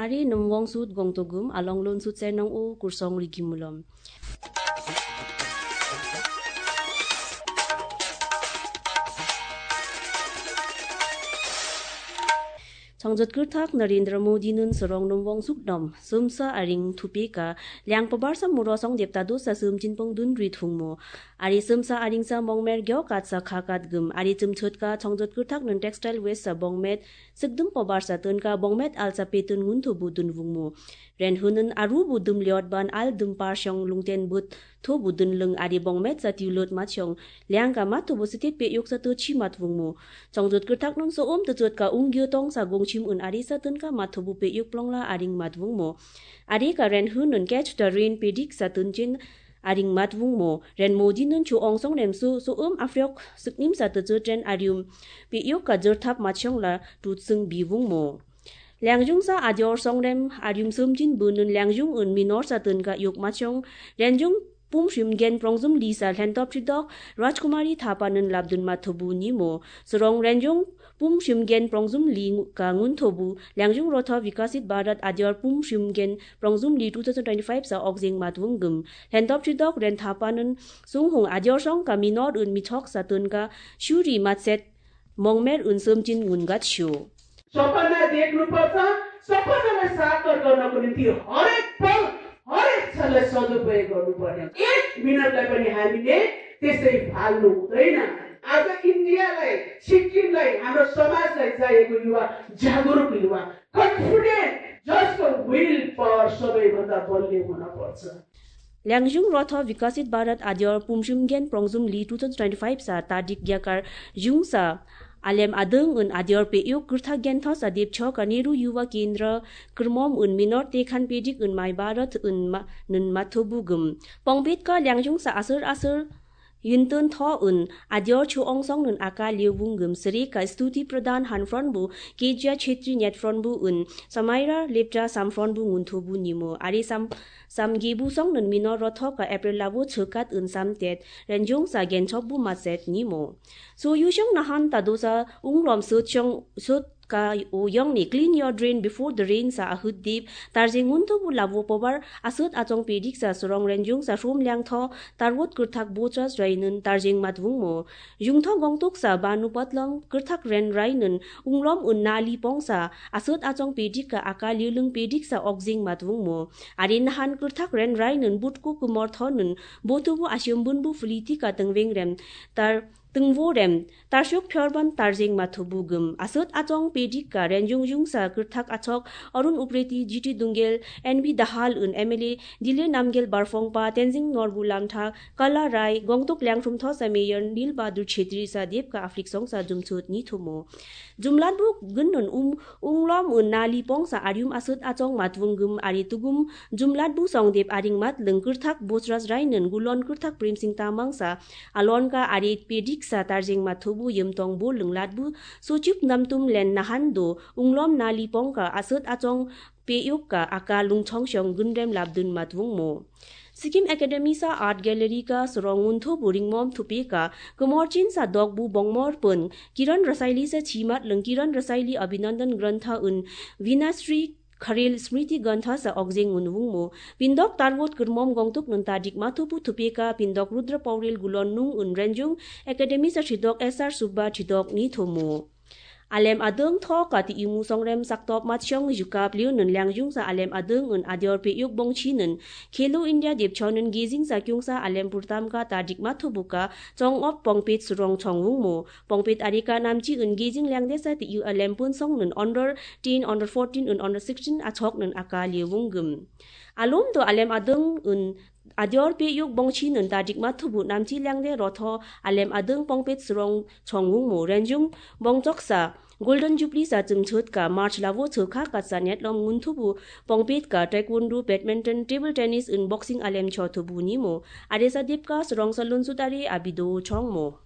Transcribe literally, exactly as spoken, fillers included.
Ari nwng wongsut gongtogum along lonsut se nong o kursong rigi mulom. Chongjot kwrwthak Narendra Modi nun sorong nwng wongsuk nom sumsa aring thupika liang pabarsa muro song depta dosa sumchin pong dun ri thungmo. Ari sumsa aringsa mongmer gyo katsa kha katgum. Ari chumchutka chongjot kwrwthak nun textile waste sa bongmet sikdum pabarsa tunka bongmet alsa petun ngun thubu dun vungmo. Ren hunun aru bu dum liot ban al dum par shong lungten but tho bu dun lung ari bongmet sa tiulot mat shong liangka mat thubu sitit pe yoksa to chi mat vungmo. Chongjot kwrwthak nun so om tuchot ka ung gyo tong sa gongchim un ari sa tunka mat thubu pe yok plongla aring mat vungmo. Ari ka ren hunun catch the rain pedik sa tunchin aring mat vungmo. Ren Modi nun chu ongsong rem su so um afyok suknim sa tuchot ren arium pe yok ka jor thap mat shong la tut sung bi vungmo. Liangjung sa adior songrem arium sumjin bunun liangjung un minor sa tun ka yuk machong renjung pum shim gen prongjum li sa lentop chidok Rajkumari Thapa nun labdun mathubu nimo. Sorong renjung pum shim gen prongjum li ngu- ka ngun thobu liangjung rotho Vikasit Bharat adior pum shim gen prongjum li two thousand twenty-five sa okjing matwung gum. Lentop chidok ren Thapa nun sunghung adior song ka minor un mithok sa tun ka shuri matset mongmer un sumjin ngun gat shu. सपना देख्नुपर्छ, सपनालाई साकार गर्नको निम्ति हरेक पल, हरेक क्षणलाई सदुपयोग गर्नुपर्ने हो। एक मिनटलाई पनि हामीले त्यसै फाल्नु हुँदैन। आज इन्डियालाई, सिक्किमलाई, हाम्रो समाजलाई चाहिएको युवा, जागरुक युवा, कन्फिडेन्ट, जसको विल पावर सबैभन्दा बलियो हुन पर्छ। Liangjung rotho Vikasit Bharat adior pumshim gen prongjum li two thousand twenty-five sa tadik yakar jung sa alem adung un adior pe yok kurtha gen tho sa dep cho ka Nehru Yuva Kendra kurmom un minor te khan pedik un mai Bharat un ma nun matho bugum. Pongpet ka liangjung sa asur asur yintun tho un adior chu ongsong nun aka liu bungum sri ka Stuti Pradhan han front bu Kejia Chetri net front bu un Samaira Lepcha sam front bu ngun thobu nimo. Ari sam Sam gebu song nun minor rotho ka April labo chwkat un sam tet renjung sa genchok bu maset nimo. So yushong nahan tadosa unglom sut shong sut ka o yong ni clean your drain before the rain sa ahut dip tarjing ngun thobu labo pobar asut achong pedik sa sorong renjung sa shum liang tho tarwot kurthak bochas rainun tarjing matwung mo. Jungtho gongtuk sa banu patlong kurthak ren rainun unglom un nali pongsa asut achong pedik ka aka liulung pedik sa okjing matwung mo. Ari nahan kurthak ren rai nun butku kumor thon nun botubu asyum bunbu fuliti ka tengweng rem tar tengwo rem tarsuk phyorban tarjing mathubu gum asut achong pedik ka renjung jung sa kurthak achok Arun Upreti, G T Dungel, N B Dahal un M L A, Dile Namgel Barfongpa, Tenzing Norbu Langtha, Kala Rai, Gongtuk Liangthum Thosa Mayor Nil Bahadur Chhetri sa dep ka aflik song sa jumchut ni thumo. Jumlatbu gunun um unglom un nali pongsa arium asut achong matwung gum ari tugum jumlatbu songdep aring mat lengkurthak bosras rainun gulon kurthak Premsing Tamangsa alonka ari pedik sa tarjing mathubu yemtong bu lenglatbu sochip namtum len nahan do unglom nali pongka asut achong peyuk ka aka lungchong shong gunrem labdun matwung mo. Sikkim Academy sa Art Gallery ka sorong unthu buring mom thupi ka kumorchin sa dog bu bongmor pun Kiran Rasaili sa chimat leng Kiran Rasaili Abhinandan Grantha un Vinasri Kharel Smriti Grantha sa okjeng un wungmo. Pindok tarwot kurmom gongtuk nun tadik mathupu thupi ka pindok Rudra Paurel gulon nung un renjung Academy sa thidok S R Subba thidok ni thumo. Alem adung tho kati imu songrem saktop matsyong jukap liu nun liangjung sa alem adung un adior pe yuk bongchi nun Khelo India depchon nun gejing sa kyung sa alem purtam ka tadik mathubu ka chong op pongpit surong chong wungmo. Pongpit arika namchi un gejing liangde sa ti iu alem pun song nun under ten, under fourteen un under sixteen achok nun aka liu wunggum. Alum do alem adung un adior pe yuk bongchi nun tadik mathubu namchi liangde rotho alem adung pongpit surong chong wungmo renjung bongchok sa Golden Jubilee sa chwngchhut ka March labo chwkha ka sa netlom ngunthubu pongpit ka taekwondo, badminton, table tennis, in boxing alem chothubu nimo. Aresa dipka srong salun sutari abido chongmo.